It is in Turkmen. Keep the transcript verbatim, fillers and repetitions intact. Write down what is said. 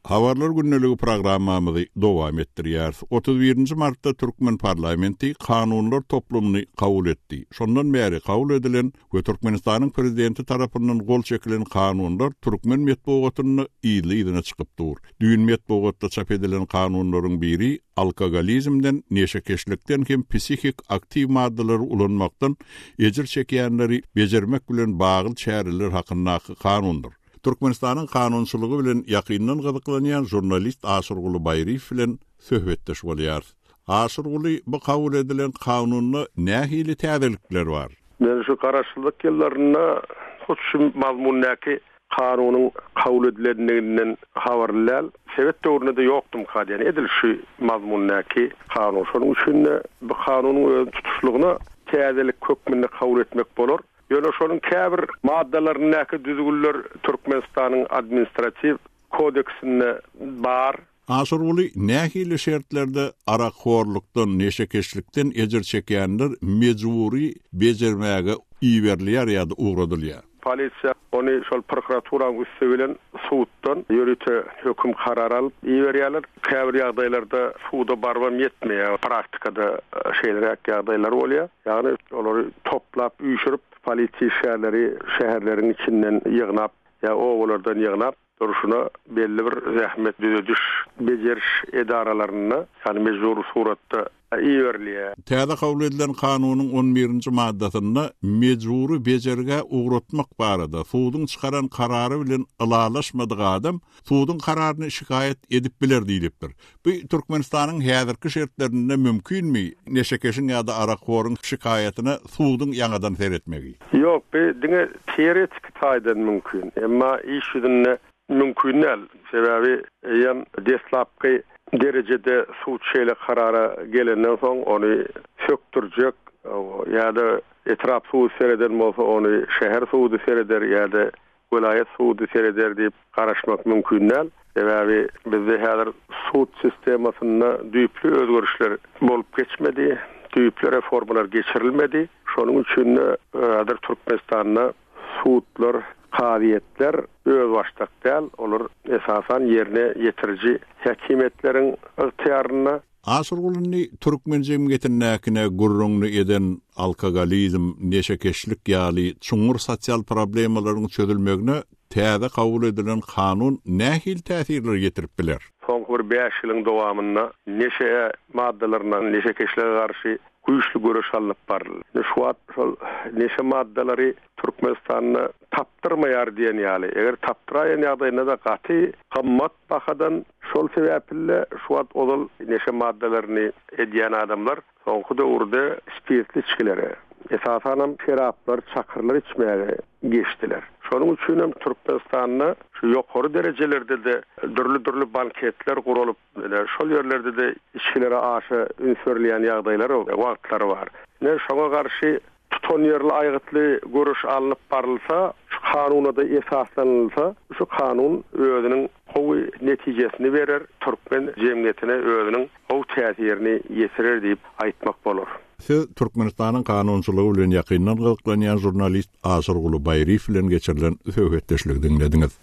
Habarlar gündeligi programmamyzy dowam etdirýäris. otuz birinji martda Türkmen parlamenti kanunlar toplumyny kabul etdi. Şondan bäri kabul edilen we Türkmenistanyň prezidenti tarapyndan gol çekilen kanunlar türkmen metbugatynda ýyly-ýylyna çykyp dur. Düýn metbugatda çap edilen kanunlaryň biri alkogolizmden, neşekeşlikden hem psihik aktiw maddalary ulanmakdan ejir çekýänleri bejermek bilen bagly çäreler hakyndaky kanundyr. Türkmenistanyň kanunçylygy bilen ýakyndan gyzyklanýan jurnalist Aşyrguly Baýryýew bilen söhbetdeş bolýar. Aşyrguly, bu kabul edilen kanunda nähili täzelikler bar? Men şu garaşsyzlyk ýyllarynda hut şu mazmundaky kanunyň kabul edilenliginden habarly däl. Sebet döwründe de ýokdum kadýan. Edil şu mazmundaky kanun. Şonuň üçin de bu kanunyň öz tutuşlygyna täzelik hökmünde kabul etmek bolar. Ýöne şonuň käbir maddalaryndaky düzgünler Türkmenistanyň administratiw kodeksinde bar. Aşyrguly, nähili şertlerde arakhorlukdan, neşekeşlikden ejir çekýänler mejburi bejermäge iberilýär ýa-da ugradylýar? Polisiýa ony şol prokuraturanyň üsti bilen suddan ýörite höküm karar alyp iberýärler. Käbir ýagdaýlarda suda barbam ýetmeýär. Praktikada şeýleräk ýagdaýlar bolýar. Ýagny olary toplap, üýşürip, polisiýa işgärleri şäherleriň içinden ýygnap ýa obalardan ýygnap durşuna belli bir zähmet düzediş, bejeriş edaralarynda, ýagny mejbur suratda iberilýär. Täze kabul edilen kanunyň on birinji maddasynda mejburi bejergä ugratmak barada suduň çykaran karary bilen ylalaşmadyk adam suduň kararyny şikaýat edip biler diýilipdir. Bu Türkmenistanyň häzirki şertlerinde mümkinmi neşekeşiň ýa-da arakhoryň şikaýatyna suduň ýaňadan seretmegi? Ýok, bu diňe teoretik taýdan mümkin. Emma iş ýüzünde mümkin däl. Sebäbi eýem deslapky derejede sud şeýle karara gelenden soň ony sökdürjek ýa-da etrap sudy sereden bolsa ony şäher sudy sereder ýa-da welaýat sudy sereder diýip garaşmak mümkin däl. Sebäbi bizde häzir sud sistemasynda düýpli özgerişler bolup geçmedi, düýpli reformalar geçirilmedi. Şonuň üçin de häzir Türkmenistanda sudlar, kazyýetler özbaşdak däl, olar esasan ýerine ýetiriji häkimiýetleriň ygtyýarynda. Aşyrgulyny türkmen jemgyýetindäkine gürrüňini eden alkogolizm, neşekeşlik ýaly çuňňur sosial problemalaryň çözülmegine täze kabul edilen kanun nähili täsirler getirip biler? Soňky bir bäş ýylyň dowamynda neşe maddalaryna, neşekeşlige garşy güýçli göreş alnyp baryldy. Şu wagt şol neşe maddalary Türkmenistanda tapdyrmaýar diýen ýaly. Eger tapdyraýan ýagdaýynda da gaty gymmat bahadan, şol sebäpli şu wagt ozal neşe maddalaryny edýän adamlar soňky döwürde spirtli içgilere, esasanam şeraplar, çakyrlar içmäge geçdiler. Şonuň üçin hem Türkmenistanda şu ýokary derejelerde de dürli-dürli banketler guralyp, ine, şol ýerlerde de içgilere aşa üns berilýän ýagdaýlar wagtlary bar. Ine, şoňa garşy tutanýerli aýgytly görüş alnyp barylsa, şu kanuna da esaslanylsa, şu kanun özüniň gowy netijesini berer, türkmen jemgyýetine özüniň gowy täsirini ýetirer diýip aýtmak bolar. Siz Türkmenistanyň kanunçylygy bilen ýakyndan gyzyklanýan jurnalist Aşyrguly Baýryýew bilen geçirilen söhbetdeşligi diňlediňiz.